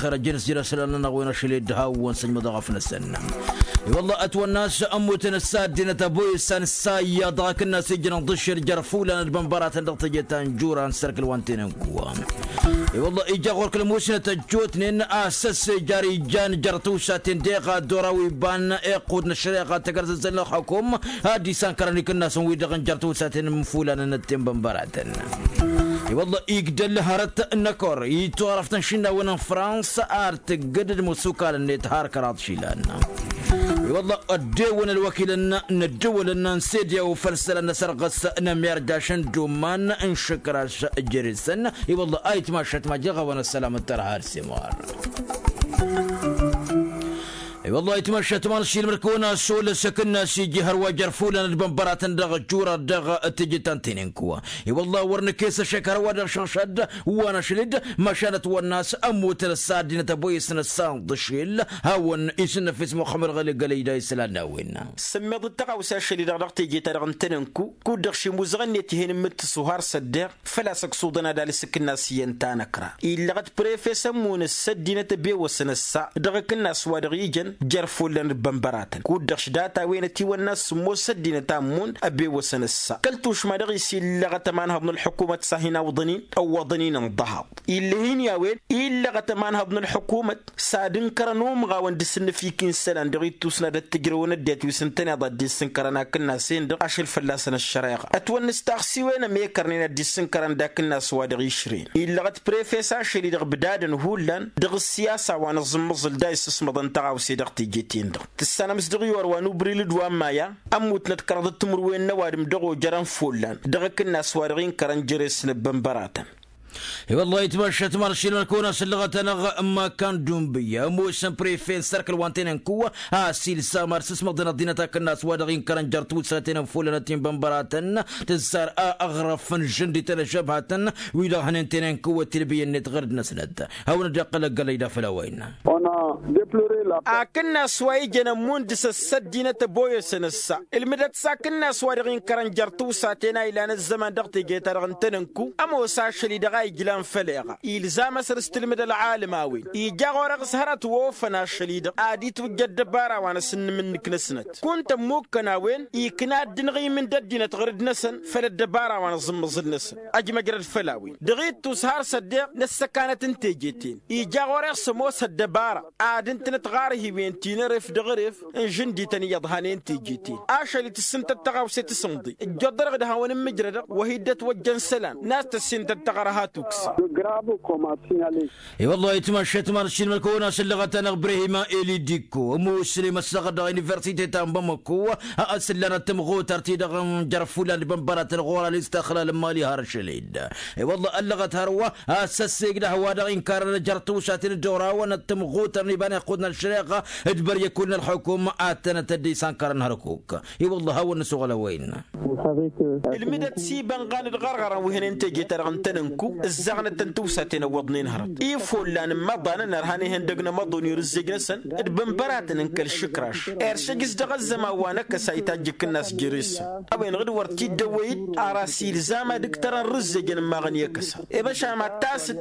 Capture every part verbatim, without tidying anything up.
ălxer ăjjăn s-jere isălan-nănăɣ wen ašăl i-dd hawăn-săjmăḍăɣ afnăsăn. I-wălla ătwănna a-s ămmutăn ăssa ăddinăt ăboyăssan ǝssa iyyăḍ dăɣ-akǝnna s-ijrăn ḍǝššel jer-ifulan d-bănbăratăn dăɣ-teje ta n-jura n-sărkǝl wa n-tenănku. I-wălla ija ɣur-kăl-musnăt ăjjootnen a-s ăssejăr ijan jer-tiwsaten deɣ ad-dd-oraw iba n-iqqud n-ăššăreɣa tăgg-ărzăzzăl n-ălxukum ad-dd-isankărăn ikǝnnasăn-wi-dăɣ n-jer-tiwsaten n-ifulan n-ăttenbănbăratăn. I-wălla igdăl hărăt n-ăkor itwăɣrăf tănšinnawen n-frans ar tǝggǝd d-imǝssukalăn-net har kăraḍ išilan. I-wălla ăddewăn ălwăkilăn n-ăddăwălăn n-sediyaw făll-isălan n-asărɣǝs n-ămyarjaš n-dumman n-išǝkraš. Jere-săn i-wălla ayǝtmašăt ma jeɣ a-wen ăssălam d-tărha d-simar. I-wălla ayǝtmašăt ma n-ašilmăr kăwăn-as olăs akǝnnas iji hărwa jer-ifulan d-bănbăratăn dăɣ-ăjjura dăɣ-tijǝt ta n-tenenku. I-wălla wăr nǝkes ašăk hărwa dăɣ-išăɣšad wa n-ašăl-dd măšan ătwănna a-s ămmutăn ăssa ăddinăt ăboyăsăn ăssa n-iḍǝšel hawăn-isǝnnăfes muxămmăd ɣăli gălăyda isălan n-a-wen. Sǝmmeḍ d-tăɣawse ašăl-i-dăɣ dăɣ-teje-ta-dăɣ n-tenănku kud-dăɣ šimuzăɣ-net ih'-en n-imǝttǝsu har s-ăddeɣ făl-a-s ăksuḍăn ad-alǝs akǝnnas iyyăn ta n-ăkra illăɣăt prefe s-ămmun s-ăddinăt ăbewăsăn ăssa dăɣ-akǝnnas wa dăɣ-ijăn jer-ifullăn d-bănbăratăn kud-dăɣ š-data-wen ătiwănna a-s sǝmmos ăddinăt a ămmun ăbewăsăn ăssa kăl-tušma dăɣ-i s-illăɣăt ămanhăḍ n-ălḥukumăt s-ad-hin-awḍăn-in ăwwăḍăn-in ǝnḍăhaḍ. Illăh-in i-a-wen illăɣăt ămanhăḍ n-ălḥukumăt s-ad-ǝnkărăn umɣawăn d-asǝnnǝfik n-isălan dăɣ-ittus n-ad-ăttǝjrăwăn ăddinăt wi s-ǝntăneḍ ad-dd-issǝnkărăn akǝnnas-en-dăɣ ašăl fălla-săn ăššăreɣa ătwănnǝs taɣsiwen ămekărnen ad-dd-issǝnkărăn d-akǝnnas wa dăɣ-išrăyăn illăɣăt prefe s-ašăl-i-dăɣ ǝbdadăn hullan dăɣ-ǝssiyasa wa n-aẓǝmmăẓǝl da issǝsmăḍăn tăɣawse dăɣ-teje-ten-dăɣ tǝssanăm s-dăɣ-i orwa n-ubrilǝd wa n-maya ămmutnăt kăraḍăt timǝrwen n-ăwadǝm dăɣ-ojărăn follan dăɣ-akǝnnas wa dăɣ-inkărăn jere-s n-ăbbănbăratăn. I-wăllah itmăššăt măršilăn kăwăn-asǝllăɣăt-anăɣ n-makan d-unbǝyya ămoosăn prefe n-sărkǝl wa n-tenănku a-s ilsam ar sǝsmăḍăn ăḍḍinăt akǝnnas wa dăɣ-inkărăn jer-tiwǝssaten n-folăn ătinbănbăratăn tǝzzar a ăɣrăf n-žǝndităn ăžžăbhatăn wi-dăɣ hănen tenănku ătilbǝyăn-net ɣǝr-dd-năsnăt. Hawăn-dd-iqqăl ăggălăy d-afăl a-wa innă. Akǝnnas wa ijăn ămmun dăɣ-s ăddinăt ăboyăsăn ăssa ǝlmǝdăt s-akǝnnas wa dăɣ-inkărăn jer-tiwsaten a ilan ăzzăman dăɣ-teje-ta-dăɣ n-tenănku ămoos ašăl-i-dăɣ a ijlan făll-eɣa ilzam asăr s-tǝlmǝd ălɣalăm a-wen ija ɣur-eɣ s-hărăt wa ofăn ašăl-i-dăɣ ad-itwǝjja ăddăbara wa n-asǝnnǝm-nǝk-năsnăt kunta ămmukkăn a-wen ikna dd-inɣimǝn d-ăddinăt ɣǝr-dd-năsăn făll-ăddăbara wa n-aẓǝmmăẓǝl-năsăn. Ăjmăjrăd făll-a-wen dăɣ-ittus har s-ăddeɣ n-ăssăkanăt n-teje-ten ija ɣur-eɣ s-ămoos ăddăbara ad-ǝntǝnăt ɣarhiwen ti n-eref dăɣ-eref n-žǝndităn iyyăḍ hanen teje-ten ašăl-i tǝssǝntăt tăɣawse tǝsǝnḍe ǝjjoḍ-dăɣ d-hawăn-ǝmmǝjrădăɣ wa hi-dd-ătwăjjăn isălan n-a-s tăssintăt taɣărha tukse. I-wăllah itmăššăt măršin mălkăwăn-asǝllăɣăt-anăɣ brehima eli dikko ămoos ăsnăy măssăɣăt dăɣ-universite ta n-bamăkko a ăsǝllanăt tămɣutărt-i-dăɣ n-jer-ifulan d-bănbăratăn ɣur-alǝs taxlal n-imali har ašăl-dd. I-wăllah ăllăɣăt hărwa a-s ăssegdăh wa dăɣ-inkarăn jer-tiwsaten dd-orawăn ăttămɣutărăn iba n-iqqud n-ăššăreɣa d-băryăkul n-ălxukum ad-tănăt-dd-isa ănkărăn hărkuk. I-wăllah hawăn-nǝsuɣăl a-wa innă. Ǝlmǝdăt s-ibănɣan d-iɣărɣărăn wi hănen teje-ta-dăɣ n-tenănku ǝzzaɣnăt-tăn tiwsaten ăwwăḍnen hărăt ifollan n-imăḍan n-ărhan ihăndăg n-amăḍon i-irǝzzej-năsăn d-bănbăratăn n-kăl-išǝkraš. Eršăj-s dăɣ-ăzzăman wa n-ăkkăs a itajj akǝnnas jere-săn a-wen-dăɣ d-wăr t-dd-ăwwăy-dd ar a-s ilzam ad-ǝktărăn rǝzzejăn ǝmmaɣăn i-akăsa. I-măšan ad-tasǝd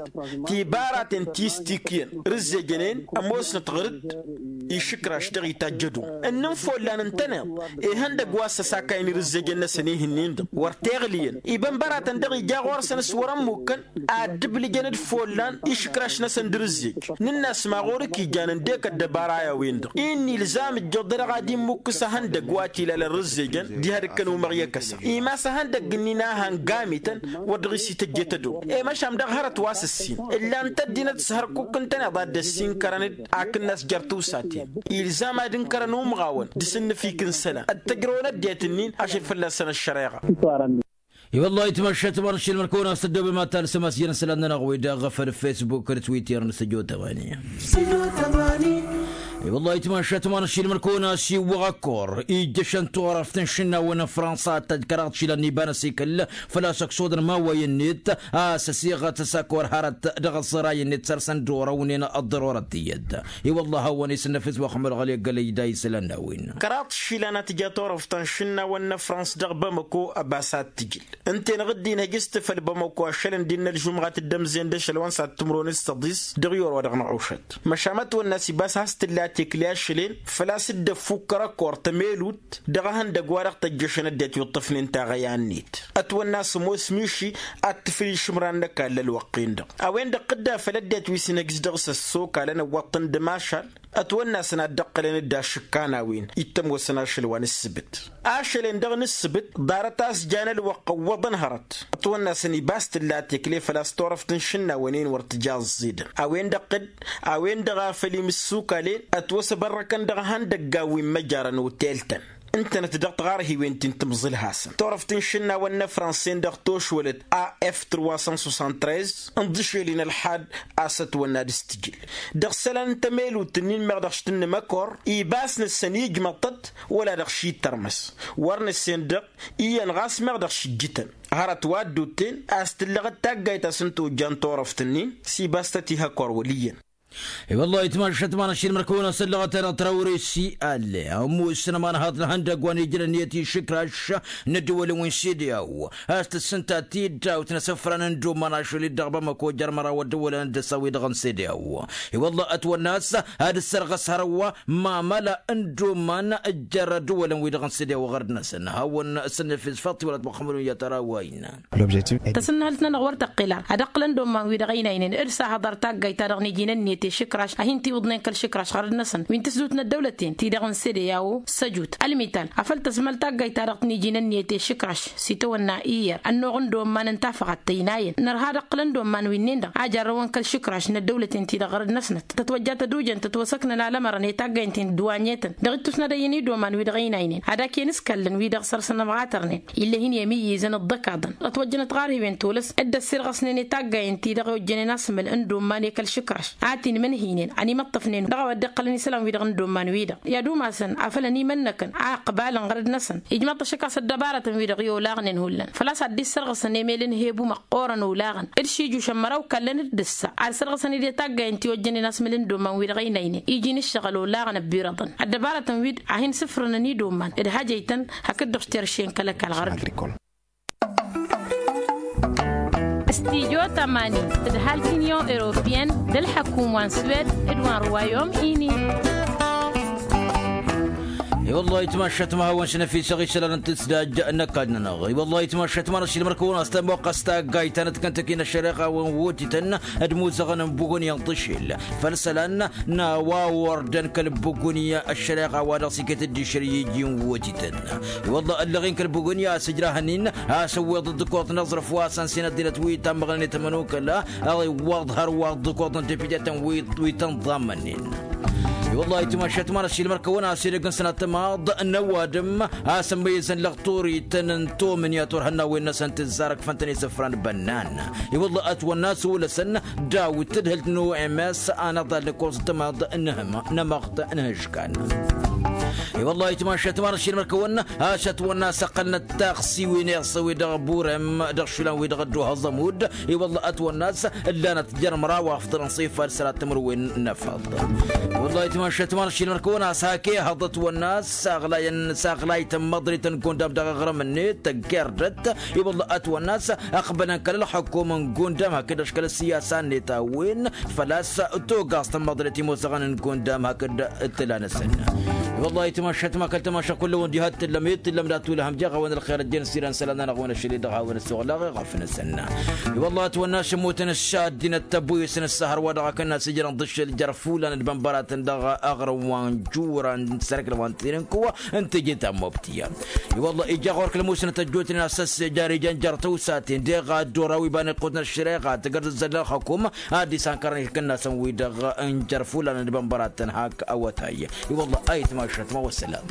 tibaraten ti s-tikyăn rǝzzejăn-en ămoosnăt ɣǝr-dd išǝkraš dăɣ-itajj ădom ǝnnǝn follan ǝntăneḍ ihăndăgg wa s-ăsakayăn irǝzzejăn-năsăn ihǝnnin-dăɣ wăr t-eɣlǝyăn ibănbăratăn-dăɣ ija ɣur-săn s-wăr-ămmukkăn ad-dd-ǝblǝjăn d-follan išǝkraš-năsăn d-irǝzzej nǝnn'-as ma ɣur-ǝkijan ǝndek ăddăbara i-a-wen-dăɣ-i n-ilzam ǝjjăḍ-dăɣ ad-immǝkkǝs ahăndăgg wa t-ilalăn rǝzzejăn diha d-ǝkkăn umăɣ i-akăsa imas ahăndăgg-ǝnnin a hăngamităn wăr dăɣ-s ităjjet ădom i-măšan dăɣ-hărăt wa s-ǝssin ǝllan-t ăddinăt s-hărkuk ǝntăneḍ ad-dd-ăssinkărăn-dd akǝnnas jer-tiwsaten ilzam ad-ǝnkărăn umɣawăn d-asǝnnǝfik n-isălan ăttăjrăwăn ăddinăt-ǝnnin ašăl fălla-săn ăššăreɣa. I-wăllah itmăššăt măršil mălkăwăn-as tăddoobem ad-talsăm a-s jăn isălan-nănăɣ wi-dăɣ făll-fesbuk d-twitter n-săjo tămani. I-wăllah itmašat ma n-ašilmăr kăwăn-as iwwăɣ ăkkor ijjăšăn turăft n-išǝnnawăn n-fransa ad-tăjj kăraḍ išilan n-iba n-asikǝl făl-a-s ăksodăn imawayi-net a-s ăsiɣăt s-ăkkor hărăt dăɣ-aẓẓăray-net săr-săn d-orăwnen ăḍḍărorăt tiyyăt. I-wăllah a-wăn isǝnnăfes wa xămălɣăl i-ăggălăy da isălan n-a-wen. Kăraḍ išilan a tǝja turăft n-išǝnnawăn n-fransa dăɣ-bamăko ăbas ad-tǝjǝl ǝnta-en ɣǝddin hăjǝs-t făll-bamăko ašălăn d-innă ălžumɣat d-ămzen d-ašăl wa n-s ad-tǝmrǝwăn s-săḍis dăɣ-i orwa dăɣ-năɣušăt. Măšan ma ătwănna a-s ibas has-tǝlla tekle ašăl-en făl-a-s dd-ăffukkăr ăkkor tămelut dăɣ-ehăndăgg wa dăɣ-tăjjăšăn ăddinăt wi ǝṭṭăfnen taɣăya-net. Ătwănna a-s ămoos miši ad-tǝfǝl išǝmran n-ăkall ălwăqq-en-dăɣ a-wen-dăɣ dd-afăl ăddinăt wi s-inhǝjǝs dăɣ-s ăssokal ănăwwăḍ-tăn d-imašal. Ătwănna a-săn ad-dd-ăqqălăn d-ašǝkkan a-wen ittămoosăn ašăl wa n-ǝssǝbǝt. Ašăl-en dăɣ-nǝssǝbǝt ḍarăt a-s jan ălwăqq ăwwăḍăn hărăt. Ătwănna a-săn ibas tǝlla tekle făl-a-s turăft n-išǝnnawăn-en wăr tǝja ăẓẓidăn a-wen-dăɣ tǝdd a-wen-dăɣ a făl imǝssukal-en ătwăsăbărrăkăn dăɣ-ihăndăggan wi n-măjarăn otel-tăn. Ǝntănăt dăɣ-tiɣarhiwen ti n-timẓǝlhasăn turăft n-išǝnnawăn n-efrănsen dăɣ-tošwălăt af trois cent soixante-treize ǝnḍǝšel-in ălḥad a-s ătwănna ad-s-tǝjǝl dăɣ-isălan n-tămelut-ǝnnin meɣ dăɣ-s tǝnnǝm ăkor ibas-năsăn ijmăḍ-tăt wăla dăɣ-ši tărmăs. Wăr-năsen-dăɣ iyyăn ɣas meɣ dăɣ-šǝjjǝtăn hărăt wa dd-utten a-s tǝllăɣăt taggayt a-s n-tojjan turăft-ǝnnin s-ibas-tăt ih' ăkor wăl' iyyăn. I-wăllah itmašat ma n-ašilmăr kăwăn-asăllăɣăt-anăɣ trawre s-i alle ămoosăn ămanhaḍ n-ihăndăgg wa n-ijrăn iyyăt išǝkraš n-ăddăwălăn wi n-sedeao a-s tǝssǝnta tidawt n-asǝfran n-dd-oman ašăl-dd dăɣ-bamăko jer-măraw ăddăwălăn d-ăsa-wi-dăɣ n-sedeao. I-wăllah ătwănna a-s ad-ǝssărɣăs hărwa mamăla n-dd-oman jer-ăddăwălăn-wi-dăɣ n-sedeao ɣărd-năsăn hawăn-săn efes faḍt-i wăla t-măxxămădun i-ad-tărawayna. Tasǝnnăhǝlt-nănăɣ wăr tăqqel ar ad-ăqqǝlăn d-omman-wi-dăɣ ăynaynen d-sahăḍ ar taggayt-ta-dăɣ n-iji n-ǝnniyăt i-išǝkraš a hin-tiwǝḍnen kăl-išǝkraš ɣărăd-năsăn wi n-tǝsdut n-ăddăwlăten-ti-dăɣ n-sedeao. Săjut ălmital afăl tăsmăl taggayt-ta-dăɣ n-iji n-ǝnniyăt i-išǝkraš s-itawănna iyyăr ănnuɣ n-dd-omman n-tafăɣat tăynayăn nărha ad-ăqqǝlăn d-omman wi-nen-dăɣ a jarrăwăn kăl-išǝkraš n-ăddăwlăten-ti-dăɣ ɣărăd-năsnăt tătwăjja tădujăn tătwăsăknăn alămărăn i-taggayăn-ten dd-wa n-etăn dăɣ-ittus n-ad-ăyyăn i-dd-oman wi-dăɣ ăynaynen ad-ak'-en s-kallăn wi-dăɣ săr-săn ămɣatărnen. Ill'-e hin-i ămiyyizăn ǝḍḍăkaḍăn ătwăjjănăt ɣarhiwen tolăs dd-ăssirɣăsnen i-taggayăn-ti-dăɣ i-ojjănen asǝmǝl n-dd-omman i-kăl-išǝkraš a t-inmǝnhǝynen ănimăṭṭăfnen dăɣ-a-wa dd-iqqălăn isălan-wi-dăɣ i-ad-umasăn afăl ănimănnăkăn a ǝqbalăn ɣărăd-năsăn. Ijmăḍ-t ašăk a-s ăddăbarătăn-wi-dăɣ i-olaɣnen hullan făl-a-s ad-dd-issărɣǝsăn emel n-hebu măqqoorăn olaɣăn d-šijušăn măraw kallăn-dd ǝssa ad-sărɣǝsăn-dd i-taggayăn ti ojjănen asmǝl n-dd-oman-wi-dăɣ ăynaynen iji n-ǝššăɣǝl olaɣăn ăbbirăḍăn. Ăddăbarătăn-wi-dăɣ a hin-sǝfrǝnăn i-dd-oman d-hajăy-tăn hakd-dăɣ s-terše n-kăl-ăkall ɣărd. Studyo tămani tǝdhalt union europeyăn d-ălḥăkum wa n-swed d-wa n-rwayom ini. I-wăllah itmašat ma hawăn-s năfisăɣ isălan n-tǝsdaj n-ăkall-nănăɣ i-wăllah itmašat ma n-ašilmăr kăwăn-as tămoqqăs taggayt ta n-ătkăntăki n-ăššăreɣa wa n-wotităn d-imuzăɣăn n-bugunya n-tǝšel făll-isălan n-a-wa ordăn kăl-bugunya ăššăreɣa wa dăɣ-s iket-dd išăr i-iji n-wotităn. I-wăllah ăllăɣin kăl-bugunya a-s ǝjrahăn-in a-s ǝwweḍ d-ǝkkoḍ n-aẓrǝf wa s-ănsinăt dinăt wi tammăɣnen i-tămănokăla ăɣ-iwwăḍ hărwa d-ǝkkoḍ n-depiteten wi tăn-ḍammănnen. I-wăllah itmašat ma n-ašilmăr kăwăn-as edăgg n-sănat tămaḍ n-ăwadǝm a-s ămmăyyăzăn lăɣturităn n-tomǝnǝya turhăn n-a-wen-năsăn tǝzzarăkfăn-tăn isǝfran bănnan. I-wăllah ătwănna a-s wălăsăn daw-dd tǝdhǝlt n-oms anăḍal n-ǝkkoẓ n-tămaḍ n-ehămăɣt n-ehǝžkan. I-wăllah itmašat ma n-ašilmăr kăwăn-as ătwănna a-s ăqqălnăt taxsiwen iṣṣe-wi-dăɣ burem dăɣ-išlan-wi-dăɣ ădduhăẓ ămudd. I-wăllah ătwănna a-s ǝllanăt jer-măraw afḍălăn s-ifad sărat timǝrwen n-efăḍ. I-wăllah itmašat ma n-ašilmăr kăwăn-as hak ehăḍ ătwănna a-s saɣlayăn saɣlayt n-măḍrit n-gundam dăɣ-aɣrǝm-net tăggerdăt. I-wăllah ătwănna a-s ăqbălăn kăl-ălxăkum n-gundam hakd ăškăl ăssiyasa-net a-wen făl-a-s togaẓt n-măḍret imuzăɣăn n-gundam hakd tǝla-năsăn. I-wăllah itmašat ma kăl-tamašăɣt kull-wăn diha t-tǝllăm i-t-tǝllăm dat-tulăhăm jeɣ-awăn ălxer ăjjăn s-irăn isălan-nănăɣ-wen ašăl-i-dăɣ hawăn-ăssoɣlăɣ iɣăf-năsăn. I-wăllah ătwănna a-s ămmutăn ǝššaddinăt tăbuyǝs n-ǝssa hărwa dăɣ-akănna a-s ijrăn ḍǝššǝl jer-ifulan d-imănbăratăn dăɣ-aɣrǝm wa n-jura n-sărkǝl wa n-tinǝnku n-tijǝt ta n-mobtǝyya. I-wăllah ija ɣur-kăl-musnăt ăjjootnen a-s ăssejăr ijăn jer-tăwsaten deɣ ad-dd-ora wi iba n-iqqutăn ăššăreɣa tǝgărz ǝzzăl ălxăkum ad-dd-isankărăn ikǝnnasăn-wi-dăɣ n-jer-ifulan d-imănbăratăn hak awătay. I-wăllah ayǝtmašat ma wăssălam.